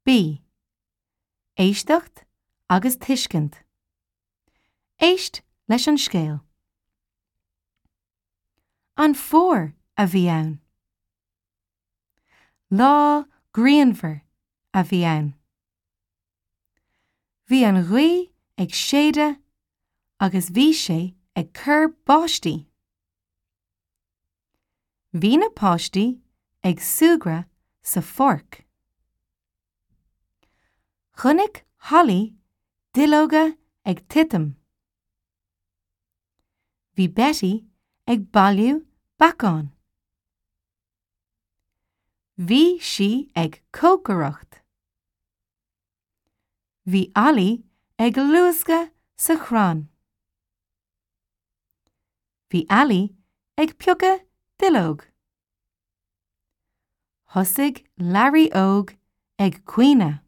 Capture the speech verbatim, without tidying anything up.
B. Éisteacht agus tuiscint. Éist leis an scéal. An fómhar a bhí ann. Lá grianmhar a bhí ann. Bhí an ghaoth ag séideadh agus bhí sé ag cur báistí. Bhí na páistí ag súgradh sa pháirc. Chonaic Holly duilleoga ag titim. Bhí Betty ag bailiú beacán. Bhí sí ag cócaireacht. Bhí Ollie ag luascadh sa chrann. Bhí Ali ag piocadh duilleog. Thosaigh Larry óg ag caoineadh.